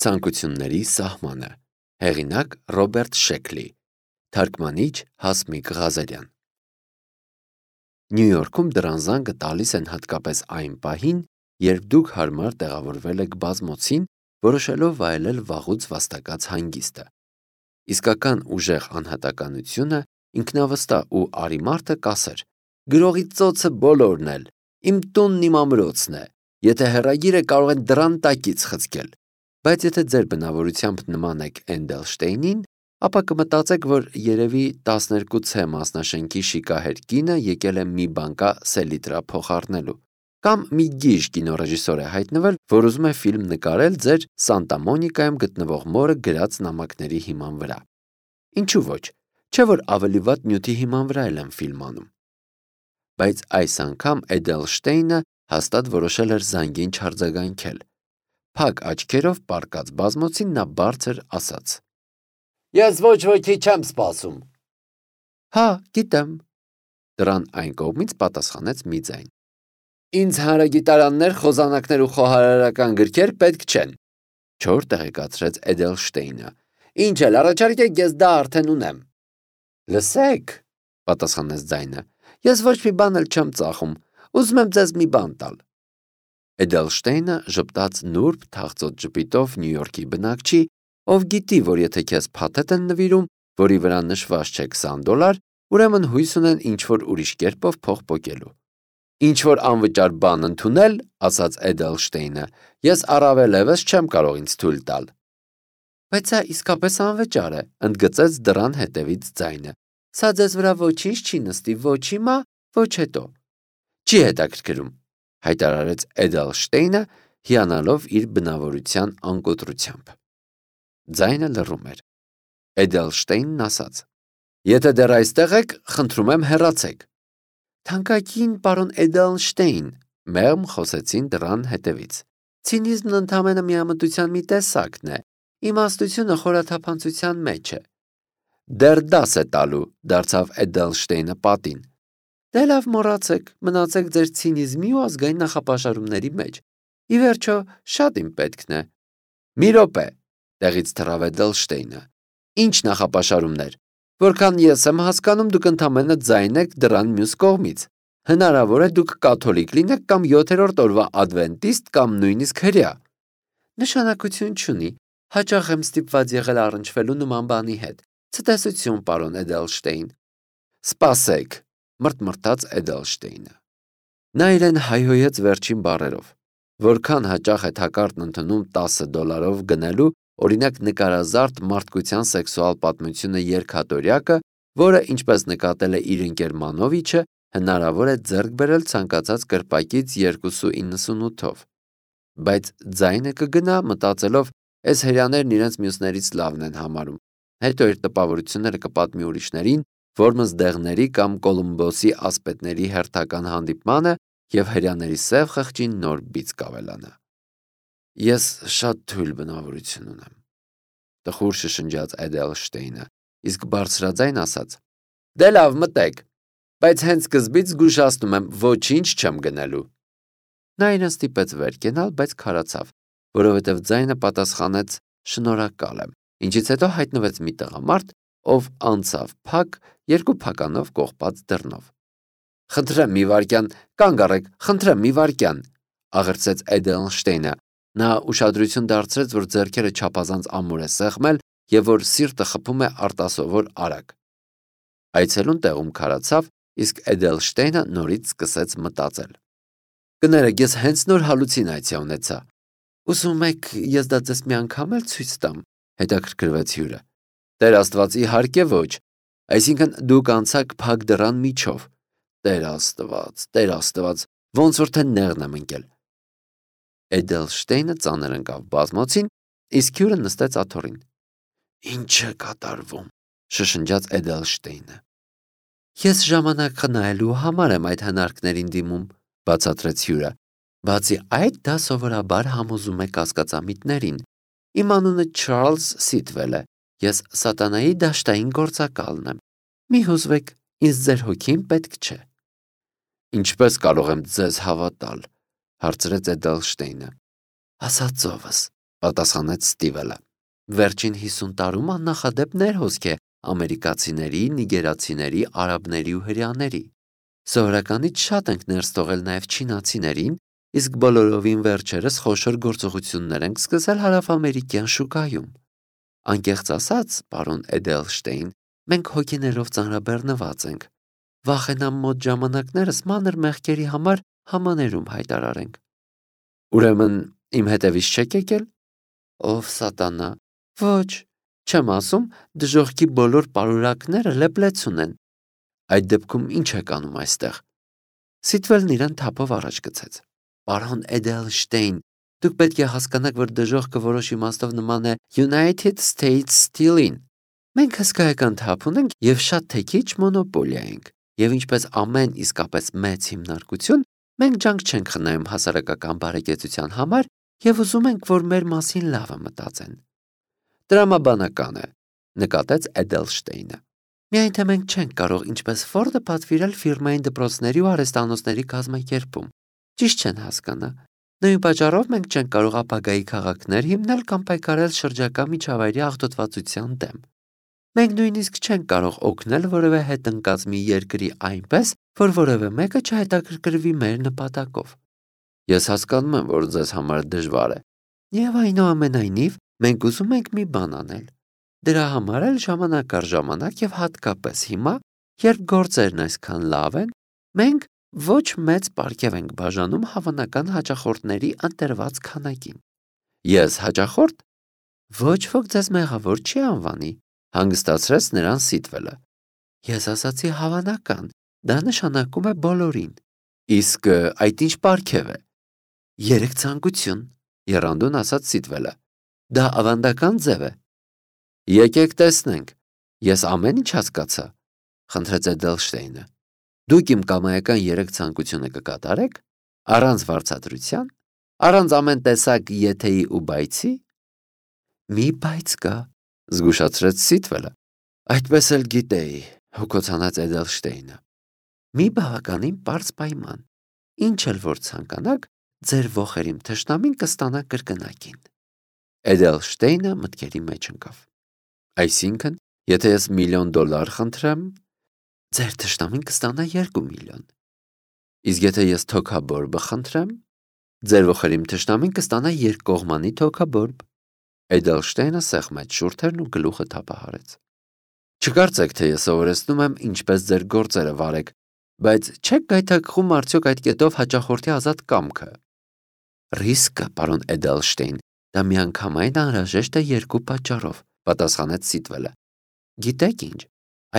Ցանկությունների սահմանը։ Հեղինակ Ռոբերտ Շեքլի։ Թարգմանիչ Հասմիկ Ղազարյան։ Նյու Յորքում դռան զանգը տալիս են հատկապես այն պահին, երբ դուք հարմար տեղավորվել եք բազմոցին, որոշելով վայելել վաղուց վաստակած հանգիստը։ Իսկական ուժեղ անհատականությունը ինքնավստահ ու արի մարդը կասեր. «Գրողի ծոցը բոլորն էլ, իմ տունն իմ ամրոցն է, եթե հեռագիրը կարող են դռան տակից խցկել»։ Բայց եթե ձեր բնավորությամբ նման եք Էնդելշտեյնին, ապա կմտածեք, որ երևի 12C մասնաշենքի շիկահեր կինը եկել է մի բանկա սելիտրա փոխառնելու։ Կամ մի գիժ կինոռեժիսոր է հայտնվել, որ ուզում է ֆիլմ նկարել ձեր Սանտա Մոնիկայում գտնվող մորը գրած նամակների հիման վրա։ Ինչու ոչ, չէ՞ որ ավելի վատ նյութի հիման վրա էլ են ֆիլմ անում։ Բայց այս անգամ Էդելշտեյնը հաստատ որոշել էր զանգին չարձագանքել։ Փակ աչքերով պառկած բազմոցին նա բարձր ասաց. «Ես ոչ ոքի չեմ սպասում»։ «Հա, գիտեմ», դռան այն կողմից պատասխանեց մի ձայն։ «Ինձ հանրագիտարաններ, խոզանակներ ու խոհարարական գրքեր պետք չեն», չոր տեղեկացրեց Էդելշտեյնը։ «Ինչ էլ առաջարկեք, ես դա արդեն ունեմ»։ «Լսեք», պատասխանեց ձայնը, «ես ոչ մի բան էլ չեմ ծախում, ուզում եմ ձեզ մի բան տալ»։ Էդելշտեյնը ժպտաց նուրբ թախծոտ ժպիտով Նյու Յորքի բնակչի, ով գիտի, որ եթե քեզ փաթեթ են նվիրում, որի վրա նշված չէ $20, ուրեմն հույս ունեն ինչ-որ ուրիշ կերպով փող պոկելու։ «Ինչ-որ անվճար բան ընդունել, ասաց Էդելշտեյնը, ես առավելևս չեմ կարող ինձ թույլ տալ»։ «Բայց սա իսկապես անվճար է», ընդգծեց դռան հետևից ձայնը։ «Սա ձեզ վրա ոչինչ չի նստի, ոչ հիմա, ոչ հետո»։ «Չի հետաքրքրում», հայտարարեց Էդելշտեյնը, հիանալով իր բնավորության անկոտրությամբ։ Ձայնը լռում էր։ Էդելշտեյնն ասաց. «Եթե դեռ այստեղ եք, խնդրում եմ հեռացեք»։ «Թանկագին պարոն Էդելշտեյն», մեղմ խոսեցին դռան հետևից, «ցինիզմն ընդամենը միամտության մի տեսակն է, իմաստությունը խորաթափանցության մեջ է»։ «Դեռ դաս է տալու», դարձավ Էդելշտեյնը պատին։ «Դե լավ, մոռացեք, մնացեք ձեր ցինիզմի ու ազգային նախապաշարումների մեջ։ Ի վերջո, շատ իմ պետքն է»։ «Մի րոպե», տեղից թռավ Էդելշտեյնը։ «Ինչ նախապաշարումներ։ Որքան ես եմ հասկանում, դուք ընդամենը ձայն եք դռան մյուս կողմից։ Հնարավոր է դուք կաթոլիկ լինեք կամ 7-րդ օրվա ադվենտիստ կամ նույնիսկ հրեա»։ «Նշանակություն չունի, հաճախ եմ ստիպված եղել առնչվելու նման բանի հետ։ Ցտեսություն, պարոն Էդելշտեյն»։ «Սպասեք», մրթմրթաց Էդելշտեյնը։ Նա իրեն հայհոյեց վերջին բառերով։ Որքան հաճախ է թակարդն ընդունում $10 գնելու, օրինակ նկարազարդ մարդկության սեքսուալ պատմությունը երգատորյակը, որը, ինչպես նկատել է իր ընկեր Մանովիչը, հնարավոր է ձեռք բերել ցանկացած կրպակից 2.98-ով։ Բայց ձայնը կգնա, մտածելով, էս հրեաներն իրենց մյուսներից լավն են համարում, հետո իր տպավորությունները կպատմի ուրիշներին, Որմնս դեղների կամ Կոլումբոսի ասպետների հերթական հանդիպմանը և հրեաների սև խղճին նոր բիծ կավելանա։ «Ես շատ թույլ բնավորություն ունեմ», տխուր շշնջաց Էդելշտեյնը, իսկ բարձրաձայն ասաց. «Դե լավ, մտեք, բայց հենց սկզբից զգուշացնում եմ, ոչինչ չեմ գնելու»։ Նա իրեն ստիպեց վեր կենալ, բայց քարացավ, որովհետև ձայնը պատասխանեց «շնորհակալ եմ», ինչից հետո հայտնվեց մի տղամարդ, ով անցավ փակ, երկու փականով կողպած դռնով։ «Խնդրեմ մի վայրկյան, կանգ առեք, խնդրեմ մի վայրկյան», աղերսեց Էդելշտեյնը։ Նա ուշադրություն դարձրեց, որ ձեռքերը չափազանց ամուր է սեղմել և որ սիրտը խփում է արտասովոր արագ։ Այցելուն տեղում քարացավ, իսկ Էդելշտեյնը նորից սկսեց մտածել։ «Կներեք, ես հենց նոր հալուցինացիա ունեցա»։ «Ուզում եք ես դա ձեզ մի անգամ էլ ցույց տամ», հետաքրքրվեց հյուրը։ «Տեր Աստված, իհարկե ոչ։ Այսինքն դուք անցաք փակ դռան միջով։ Տեր Աստված, ոնց որ թե նեղն եմ ընկել»։ Էդելշտեյնը ծանր ընկավ բազմոցին, իսկ հյուրը նստեց աթոռին։ «Ինչ է կատարվում», շշնջաց Էդելշտեյնը։ «Ես ժամանակ խնայելու համար եմ այդ հնարքներին դիմում», բացատրեց հյուրը։ «Բացի այդ, դա սովորաբար համոզում է կասկածամիտներին։ Իմ անունը Չարլզ Սիթվել է։ Ես սատանայի դաշտային գործակալն եմ։ Մի հուզվեք, ինձ ձեր հոգին պետք չէ»։ «Ինչպես կարող եմ ձեզ հավատալ», հարցրեց Էդելշտեյնը։ «Աստծովս», պատասխանեց Ստիվելը։ Վերջին 50 տարում աննախադեպ ներհոսք է ամերիկացիների, նիգերացիների, արաբների ու հրեաների։ Սովորականից շատ ենք ներս թողել նաև չինացիներին, իսկ բոլորովին վերջերս խոշոր գործողություններ ենք սկսել հարավամերիկյան շուկայում։ Անկեղծ ասած, պարոն Էդելշտեյն, մենք հոգիներով ծանրաբեռնված ենք։ Վախենամ մոտ ժամանակներս մանր մեղքերի համար համաներում հայտարարենք։ Ուրեմն իմ հետևից չեք եկել։ Ով սատանա։ Ոչ, չեմ ասում, դժոխքի բոլոր պարուրակները լեփլեցուն են։ Այդ դեպքում ինչ եք անում այստեղ։ Սիտվելն իրան թափով առաջ գցեց։ Պարոն Էդելշտեյն, դուք պետք է հասկանաք, որ դժոխքը որոշ իմաստով նման է United States Steel-ին։ Մենք հսկայական թափ ունենք եւ շատ թե քիչ մոնոպոլիա ենք։ Եվ ինչպես ամեն իսկապես մեծ հիմնարկություն, մենք ջանք չենք խնայում հասարակական բարեկեցության համար եւ ուզում ենք, որ մեր մասին լավը մտածեն։ Տրամաբանական է, նկատեց Էդելշտեյնը։ Միայն թե մենք չենք կարող ինչպես Ֆորդը պատվիրել ֆիրմային դպրոցների ու արհեստանոցների կազմակերպում։ Ճիշտ չեն հասկանա։ Նույն պատճառով մենք չենք կարող ապագայի քաղաքներ հիմնել կամ պայքարել շրջակա միջավայրի աղտոտվածության դեմ։ Մենք նույնիսկ չենք կարող օգնել որևէ հետընկած մի երկրի այնպես, որ որևէ մեկը չհետաքրքրվի մեր նպատակով։ Ես հասկանում եմ, որ ձեզ համար դժվար է։ Եվ այնուամենայնիվ, մենք ուզում ենք մի բան անել։ Դրա համար էլ ժամանակ առ ժամանակ եւ հատկապես հիմա, երբ գործերն այսքան լավ են, մենք ոչ մեծ պարգև ենք բաժանում հավանական հաճախորդների ընտրված քանակին։ Ես հաճախորդ։ Ոչ ոք ձեզ մեղավոր չի անվանի, հանգստացրեց նրան Սիտվելը։ Ես ասացի հավանական, դա նշանակում է բոլորին։ Իսկ այդ ինչ պարգև է։ Երեք ցանկություն, եռանդուն ասաց Սիտվելը։ Դա ավանդական ձև է։ Եկեք տեսնենք։ Ես ամեն ինչ հասկացա, խնդրեց Էդելշտեյնը։ Դուք իմ կամայական երեք ցանկությունը կկատարեք, առանց վարձատրության, առանց ամեն տեսակ եթեի ու բայցի։ Մի բայց կա, զգուշացրեց Սիտվելը։ Այդպես էլ գիտեի, հոգոցանած Էդելշտեյնը։ Մի բավականին պարզ պայման։ Ինչ էլ որ ցանկանաք, ձեր ոխերիմ թշնամին կստանա կրկնակին։ Էդելշտեյնը մտքերի մեջ ընկավ։ Այսինքն, եթե ես $1,000,000 խնդրեմ, ձեր թշնամին կստանա 2 միլիոն։ Իսկ եթե ես թոքաբորբը խնդրեմ, ձեր ոխերիմ թշնամին կստանա երկկողմանի թոքաբորբ։ Էդելշտեյնը սեղմեց շուրթերն ու գլուխը թափահարեց։ Չկարծեք, թե ես սովորեցնում եմ ինչպես ձեր գործերը վարեք, բայց չեք գայթակղում արդյոք այդ կետով հաճախորդի ազատ կամքը։ Ռիսկը, պարոն Էդելշտեյն, դա միանգամայն անհրաժեշտ է 2 պատճառով, պատասխանեց Սիտվելը։ Գիտեք ինչ,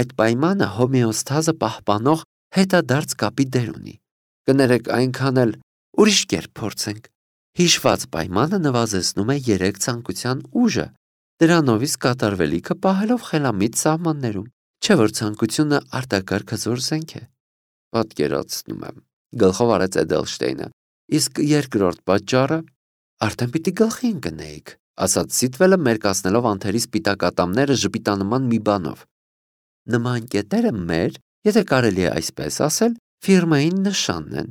այդ պայմանը հոմեոստազը պահպանող հետադարձ կապի դեր ունի։ Կներեք այնքան էլ ուրիշ կերպ փորձենք։ Հիշված պայմանը նվազեցնում է 3 ցանկության ուժը, դրանով իսկ կատարվելիքը պահելով խելամիտ սահմաններում, չէ որ ցանկությունը արտակարգ հզոր զենք է։ Պատկերացնում եմ, գլխով արեց Էդելշտեյնը։ Իսկ երկրորդ պատճառը արդեն պիտի գլխի ընկնեիք, ասաց Սիտվելը մերկացնելով անթերի սպիտակ ատամները ժպիտանման մի բանով։ Նման կետերը մեր, եթե կարելի է այսպես ասել, ֆիրմային նշանն են,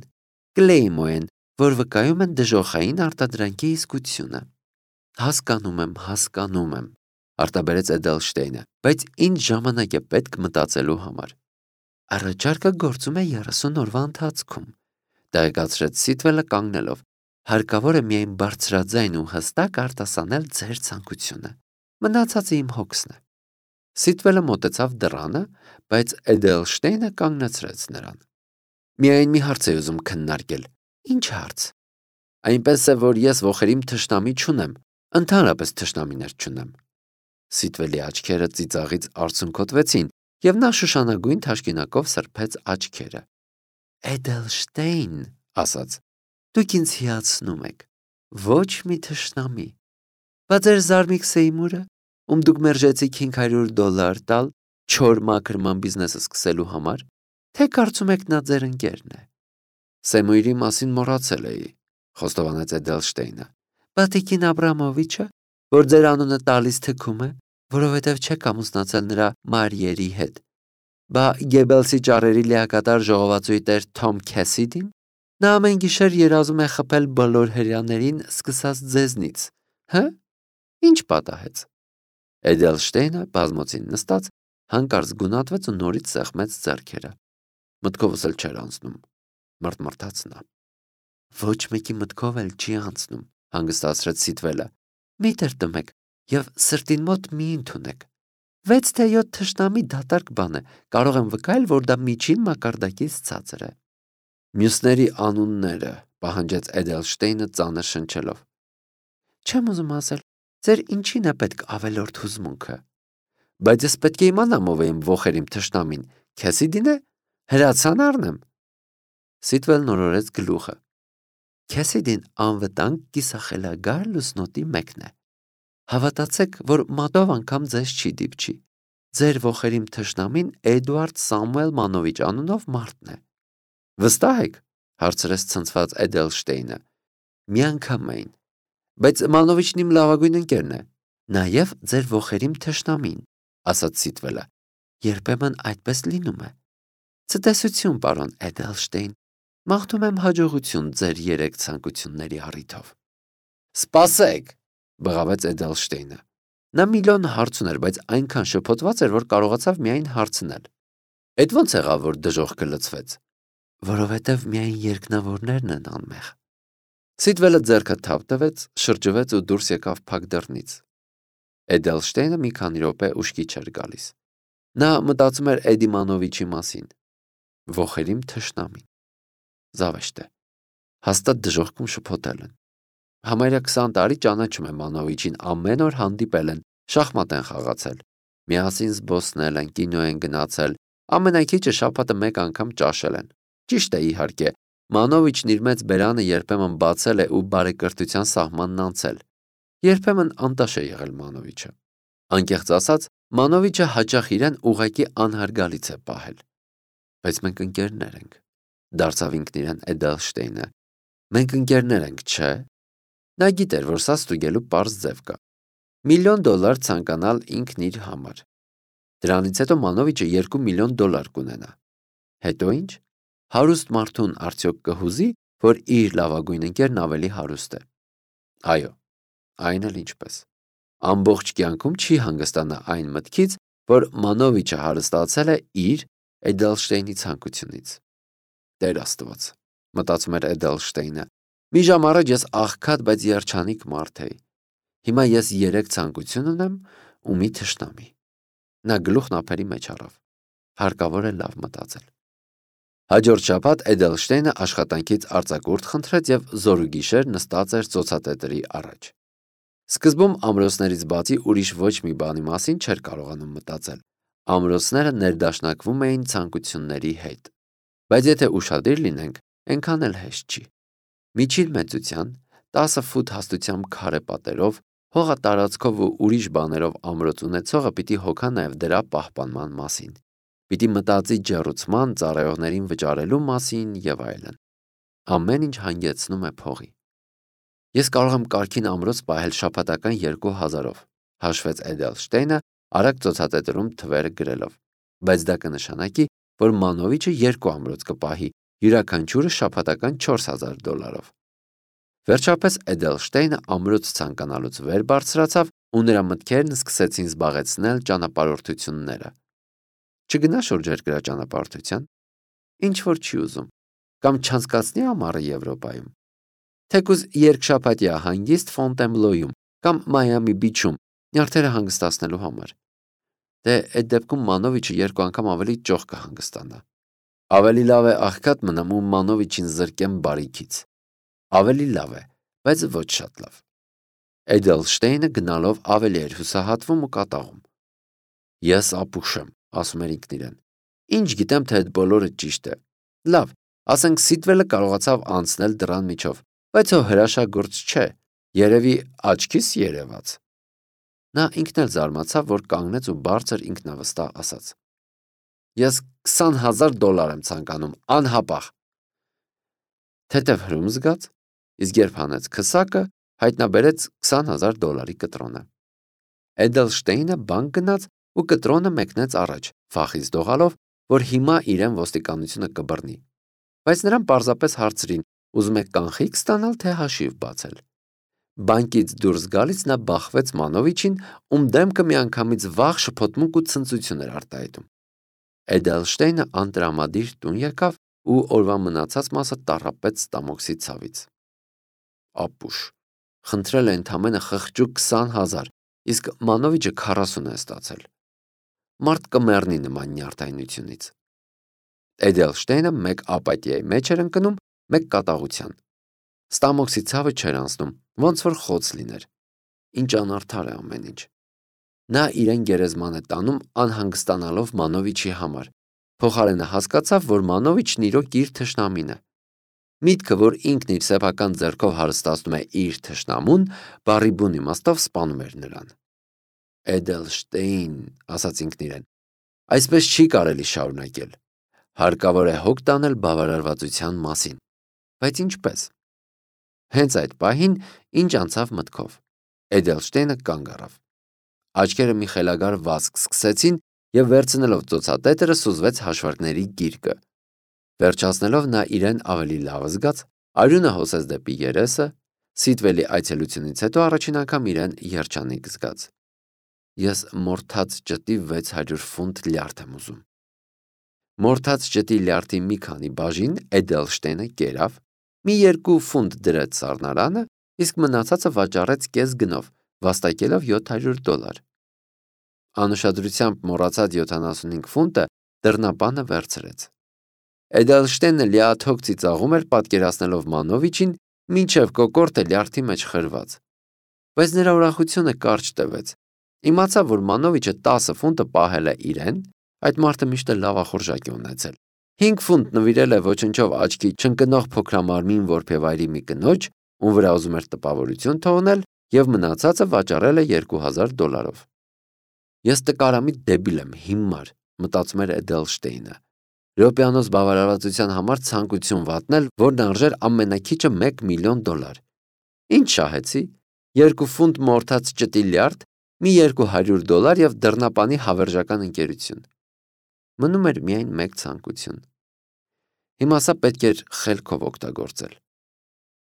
կլեյմո են, որ վկայում են դժոխային արտադրանքի իսկությունը։ Հասկանում եմ, արտաբերեց Էդելշտեյնը, բայց ինչ ժամանակ է պետք մտածելու համար։ Առաջարկը գործում է 30 օրվա ընթացքում, տեղեկացրեց Սիտվելը կանգնելով։ Հարկավոր է միայն բարձրաձայն ու հստակ արտասանել ձեր ցանկությունը։ Մնացածը իմ հոգսն է։ Սիտվելը մոտեցավ դռանը, բայց Էդելշտեյնը կանգնեցրեց նրան։ Միայն մի հարց է ուզում քննարկել։ Ինչ հարց։ Այնպես է, որ ես ոխերիմ թշնամի չունեմ, ընդհանրապես թշնամիներ չունեմ։ Սիտվելի աչքերը ծիծաղից արցունքոտվեցին, եւ նա շշանագույն թաշկինակով սրբեց աչքերը։ Էդելշտեյն, ասաց, դուք ինձ հիացնում եք։ Ոչ մի թշնամի։ Բայց ձեր Զարմիկ Սեյմուրը, ում դուք մերժեցիք $500 տալ չոր մաքրման բիզնեսը սկսելու համար, թե կարծում եք նա ձեր ընկերն է։ Սեմույրի մասին մոռացել էի, խոստովանեց Էդելշտեյնը։ Բատիկին Աբրամովիչը, որ ձեր անունը տալիս թքում է, որովհետև չեք ամուսնացել նրա Մարիերի հետ։ Բա Գեբելսի ճառերի լիակատար ժողովածուի տեր Թոմ Քեսիդին, նա ամեն գիշեր երազում է խփել բոլոր հրեաներին, սկսած ձեզնից, Հը՞, ինչ պատահեց։ Էդելշտեյնը բազմոցին նստած հանկարծ գունատվեց ու նորից սեղմեց ձեռքերը։ Մտքովս էլ չէր անցնում, մռթմռթաց նա։ Ոչ մեկի մտքով էլ չի անցնում, հանգստացրեց Սիթվելը։ Միտր տմեք եւ սրտին մոտ մի ընդունեք։ 6 թե 7 թշնամի դատարկ բան է, կարող եմ վկայել, որ դա միջին մակարդակից ցածր է։ Մյուսների անունները, պահանջեց Էդելշտեյնը ծանր շնչելով։ Չեմ ուզում ասել, ձեր ինչին է պետք ավելորդ հուզմունքը։ Բայց ես պետք է իմանամ ով է իմ ոխերիմ թշնամին, Քեսիդին է, հրացան առնեմ։ Սիթվելն օրորեց գլուխը։ Քեսիդին անվտանգ կիսախելագար լուսնոտի մեկն է։ Հավատացեք, որ մատով անգամ ձեզ չի դիպչի։ Ձեր ոխերիմ թշնամին Էդուարդ Սամուել Մանովիչ անունով մարդն է։ Վստահ եք, հարցրեց ցնցված Էդելշտեյնը։ Միանգամայն։ Բայց Մանովիչն իմ լավագույն ընկերն է։ Նաև ձեր ոխերիմ թշնամին, ասաց Սիթվելը։ Երբեմն այդպես լինում է։ Ցտեսություն, պարոն Էդելշտեյն։ Մաղթում եմ հաջողություն ձեր 3 ցանկությունների առիթով։ Սպասեք, բղավեց Էդելշտեյնը։ Նա միլիոն հարց ուներ, բայց այնքան շփոթված էր, որ կարողացավ միայն հարցնել։ Էդ ո՞նց եղավ, որ դժոխքը լցվեց։ Որովհետև միայն երկնավորներն են անմեղ։ Սիթվելը ձեռքը թավ տվեց, շրջվեց ու դուրս եկավ փակ դռնից։ Էդելշտեյնը մի քանի րոպե ուշքի չէր գալիս։ Նա մտածում էր Էդի Մանովիչի մասին։ Ոխերիմ թշնամին։ Զավեշտ է։ Հաստատ դժոխքում շփոթել են։ Համարյա 20 տարի ճանաչում եմ Մանովիչին, ամեն օր հանդիպել են, շախմատ են խաղացել։ Միասին զբոսնել են, կինո են գնացել, ամենաքիչը շաբաթը 1 անգամ ճաշել են։ Ճիշտ է, իհարկե, Մանովիչն իր մեծ բերանը երբեմն բացել է ու բարեկրթության սահմանն անցել։ Երբեմն անտաշ է եղել Մանովիչը։ Անկեղծ ասած, Մանովիչը հաճախ իրեն ուղղակի անհարգալից է պահել։ Բայց մենք ընկերներ ենք, դարձավ ինքն իրեն Էդելշտեյնը։ Մենք ընկերներ ենք, չէ՞։ Նա գիտեր, որ սա ստուգելու պարզ ձև կա։ $1,000,000 ցանկանալ ինքն իր համար։ Դրանից հետո Մանովիչը $2 միլիոն կունենա։ Հետո ինչ։ Հարուստ մարդուն արդյոք կհուզի, որ իր լավագույն ընկերն ավելի հարուստ է։ Այո, այն էլ ինչպես։ Ամբողջ կյանքում չի հանգստանա այն մտքից, որ Մանովիչը հարստացել է իր Էդելշտեյնի ցանկությունից։ Տեր Աստված, մտածում էր Էդելշտեյնը։ Մի ժամ առաջ ես աղքատ, բայց երջանիկ մարդ էի։ Հիմա ես 3 ցանկություն ունեմ ու մի թշնամի։ Նա գլուխն ափերի մեջ առավ։ Հարկավոր է լավ մտածել։ Հաջորդ շաբաթ Էդելշտեյնը աշխատանքից արձակուրդ խնդրեց եւ զորուգիշեր նստած էր ծոցատետրի առաջ։ Սկզբում ամրոցներից բացի ուրիշ ոչ մի բանի մասին չէր կարողանում մտածել։ Ամրոցները ներդաշնակվում էին ցանկությունների հետ։ Բայց եթե ուշադիր լինենք, այնքան էլ հեշտ չի։ Միջին մեծության 10 ֆուտ հաստությամբ քարե պատերով, հողատարածքով ու ուրիշ բաներով ամրոց ունեցողը պիտի հոգա նաև դրա պահպանման մասին։ Պիտի մտածի ջեռուցման, ծառայողներին վճարելու մասին եւ այլն։ Ամեն ինչ հանգեցնում է փողի։ Ես կարող եմ կարգին ամրոց պահել շաբաթական 2000-ով, հաշվեց Էդելշտեյնը, արագ ծոցատետրում թվերը գրելով։ Բայց դա կնշանակի, որ Մանովիչը 2 ամրոց կպահի, յուրաքանչյուրը շաբաթական $4,000-ով։ Վերջապես Էդելշտեյնը ամրոց ցանկանալուց վեր բարձրացավ ու նրա մտքերն սկսեցին զբաղեցնել ճանապարհորդությունները։ Չգնա շուրջերկրյա ճանապարհորդության։ Ինչ որ չի ուզում։ Կամ չանցկացնի ամառը Եվրոպայում։ Թեկուզ երկշաբաթյա հանգիստ Ֆոնտենբլոյում կամ Մայամի Բիչում նյարդերը հանգստացնելու համար։ Դե այդ դեպքում Մանովիչը 2 անգամ ավելի ճոխ կհանգստանա։ Ավելի լավ է աղքատ մնամ ու Մանովիչին զրկեմ բարիքից։ Ավելի լավ է, բայց ոչ շատ լավ։ Էդելշտեյնը գնալով ավելի էր հուսահատվում ու կատաղում։ Ես ապուշ եմ, ասում էր ինքն իրեն։ Ինչ գիտեմ, թե այդ բոլորը ճիշտ է։ Լավ, ասենք Սիթվելը կարողացավ անցնել դռան միջով, բայց ո հրաշագործ չէ, երևի աչքիս երևաց։ Նա ինքն էլ զարմացավ, որ կանգնեց ու բարձր ինքնավստահ ասաց. Ես $20,000 եմ ցանկանում, անհապաղ։ Թեթև հրում զգաց, իսկ երբ հանեց քսակը, հայտնաբերեց $20,000 կտրոնը։ Էդելշտեյնը բանկ գնաց ու կտրոնը մեկնեց առաջ, վախից դողալով, որ հիմա իրեն ոստիկանությունը կբռնի։ Բայց նրան պարզապես հարցրին, ուզում եք կանխիկ ստանալ, թե հաշիվ բացել։ Բանկից դուրս գալիս նա բախվեց Մանովիչին, ում դեմքը միանգամից վախ, շփոթմունք ու ցնծություն էր արտահայտում։ Էդելշտեյնը անտրամադիր տուն եկավ ու օրվա մնացած մասը տառապեց ստամոքսի ցավից։ Ապուշ, խնդրել է ընդամենը խղճուկ 20,000, իսկ Մանովիչը 40 է ստացել։ Մարդ կմեռնի նման նյարդայնությունից։ Էդելշտեյնը մեկ ապաթիայի մեջ էր ընկնում, մեկ կատաղության։ Ստամոքսի ցավը չէր անցնում, ոնց որ խոց լիներ։ Ինչ անարդար է ամեն ինչ։ Նա իրեն գերեզման է տանում անհանգստանալով Մանովիչի համար։ Փոխարենը հասկացավ, որ Մանովիչն իրոք իր թշնամին է։ Միտքը, որ ինքն իր սեփական ձեռքով հարստացնում է իր թշնամուն, բառի բուն իմաստով սպանում էր նրան։ Էդելշտեյն, ասաց ինքն իրեն, այսպես չի կարելի շարունակել։ Հարկավոր է հոգ տանել բավարարվածության մասին։ Բայց ինչպես։ Հենց այդ պահին ինչ անցավ մտքով։ Էդելշտեյնը կանգ առավ։ Աչքերը մի խելագար վազք սկսեցին և վերցնելով ծոցատետերը սուզվեց հաշվարկների գիրկը։ Վերջացնելով նա իրեն ավելի լավ զգաց, արյունը հոսեց դեպի երեսը, Սիթվելի այցելությունից հետո առաջին անգամ իրեն երջանիկ զգաց։ Ես մորթած ջտի 600 ֆունտ լյարդ եմ ուզում։ Մորթած ջտի լյարդի մի քանի բաժին Էդելշտեյնը կերավ, մի 2 ֆունտ դրեց սառնարանը, իսկ մնացածը վաճառեց կես գնով, վաստակելով $700։ Անուշադրությամբ մոռացած 75 ֆունտը դռնապանը վերցրեց։ Էդելշտեյնը լիաթոք ծիծաղում էր, պատկերացնելով Մանովիչին, մինչև կոկորդը լյարդի մեջ խրված։ Բայց նրա ուրախությունը կարճ տևեց։ Իմացավ, որ Մանովիչը 10 ֆունտը պահել է իրեն, այդ մարդը միշտ լավախորժակ է ունեցել։ 5 ֆունտ նվիրել է ոչնչով աչքի չընկնող փոքրամարմին որբևայրի մի կնոջ, ում վրա ուզում էր տպավորություն թողնել, և մնացածը վաճառել է $2,000։ Ես տկարամիտ դեբիլ եմ, հիմար, մտածում էր Էդելշտեյնը։ Րոպեանոց բավարարվածության համար ցանկություն վատնել, որն արժեր ամենաքիչը $1 միլիոն։ Ինչ շահեցի, 2 ֆունտ մորթած ջտի լյարդ, մի $200 և դռնապանի հավերժական ընկերություն։ Մնում էր միայն մեկ ցանկություն։ Հիմա սա պետք էր խելքով օգտագործել։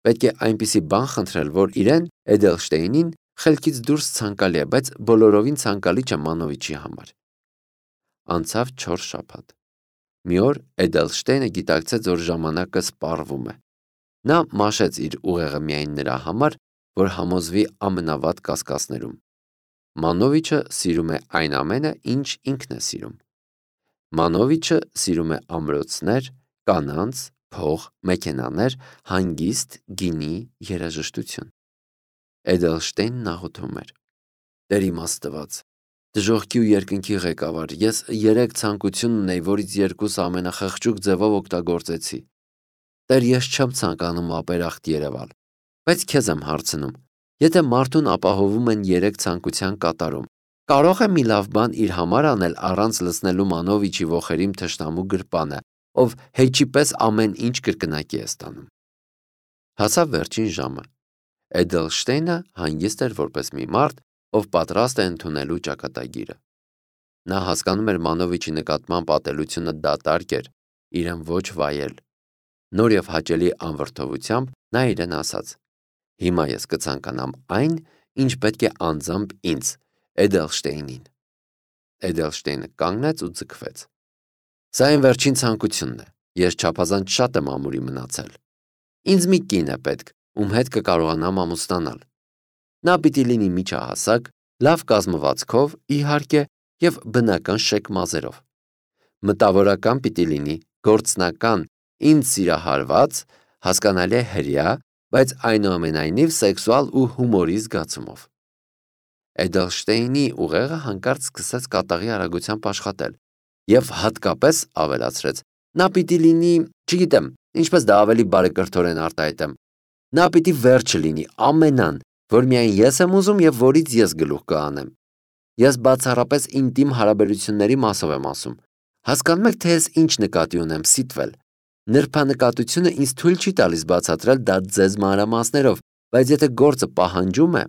Պետք է այնպիսի բան խնդրել, որ իրեն, Էդելշտեյնին, խելքից դուրս ցանկալի է, բայց բոլորովին ցանկալի չէ Մանովիչի համար։ Անցավ 4 շաբաթ։ Մի օր Էդելշտեյնը գիտակցեց, որ ժամանակը սպառվում է։ Նա մաշեց իր ուղեղը միայն նրա համար, որ համոզվի ամենավատ կասկածներում։ Մանովիչը սիրում է այն ամենը, ինչ ինքն է սիրում։ Մանովիչը սիրում է ամրոցներ, կանանց, փող, մեքենաներ, հանգիստ, գինի, երաժշտություն։ Էդելշտեյնն աղոթում էր. Տեր իմաստված, դժոխքի ու երկնքի ղեկավար, ես 3 ցանկություն ունեի, որից 2-ը ամենախղճուկ ձևով օգտագործեցի։ Տեր, ես չեմ ցանկանում ապերախտ երևալ, բայց քեզ եմ հարցնում, եթե մարդուն ապահովում են 3 ցանկության կատարում, կարող է մի լավ բան իր համար անել առանց լցնելու Մանովիչի ոխերիմ թշնամու գրպանը, ով հեչի պես ամեն ինչ կրկնակի է ստանում։ Հասավ վերջին ժամը։ Էդելշտեյնը հանգիստ էր որպես մի մարդ, ով պատրաստ է ընդունելու ճակատագիրը։ Նա հասկանում էր Մանովիչի նկատմամբ ատելությունը դատարկ էր, իրեն ոչ վայել։ Նոր և հաճելի անվրդովությամբ նա իրեն ասաց. Հիմա ես կցանկանամ այն, ինչ պետք է անձամբ ինձ, Էդելշտեյնին։ Էդելշտեյնը կանգնեց ու ձգվեց։ Սա իմ վերջին ցանկությունն է, ես չափազանց շատ եմ ամուրի մնացել։ Ինձ մի կին է պետք, ում հետ կկարողանամ ամուսնանալ։ Նա պիտի լինի միջահասակ, լավ կազմվածքով, իհարկե, և բնական շեկ մազերով։ Մտավորական պիտի լինի, գործնական, ինձ սիրահարված, հասկանալի է հրեա, բայց այնուամենայնիվ սեքսուալ ու հումորի զգացումով։ Էդելշտեյնի ուղեղը հանկարծ սկսեց կատաղի արագությամբ աշխատել և հատկապես ավելացրեց. նա պիտի լինի, չգիտեմ, ինչպես դա ավելի բարեկրթորեն արտահայտեմ, նա պիտի վերջը լինի, ամենան, որ միայն ես եմ ուզում և որից ես գլուխ կհանեմ։ Ես բացառապես ինտիմ հարաբերությունների մասով եմ ասում։ Հասկանում եք, թե ես ինչ նկատի ունեմ, Սիթվել։ Նրբանկատությունը ինձ թույլ չի տալիս բացատրել դա ձեզ մանրամասներով, բայց եթե գործը պահանջում է…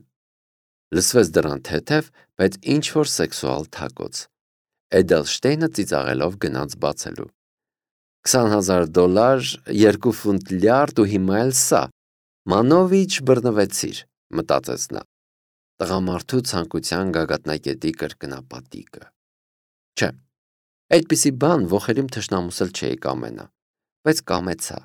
Լսվեց դռան թեթև, բայց ինչ-որ սեքսուալ թակոց։ Էդելշտեյնը ծիծաղելով գնաց բացելու։ $20,000, 2 ֆունտ լյարդ ու հիմա էլ սա։ Մանովիչ, բռնվեցիր։ մտածեց նա։ Տղամարդու ցանկության գագաթնակետի կրկնապատիկը։ Չէ, այդպիսի բան ոխերիմ թշնամուս էլ չէի կամենա, բայց կամեցա։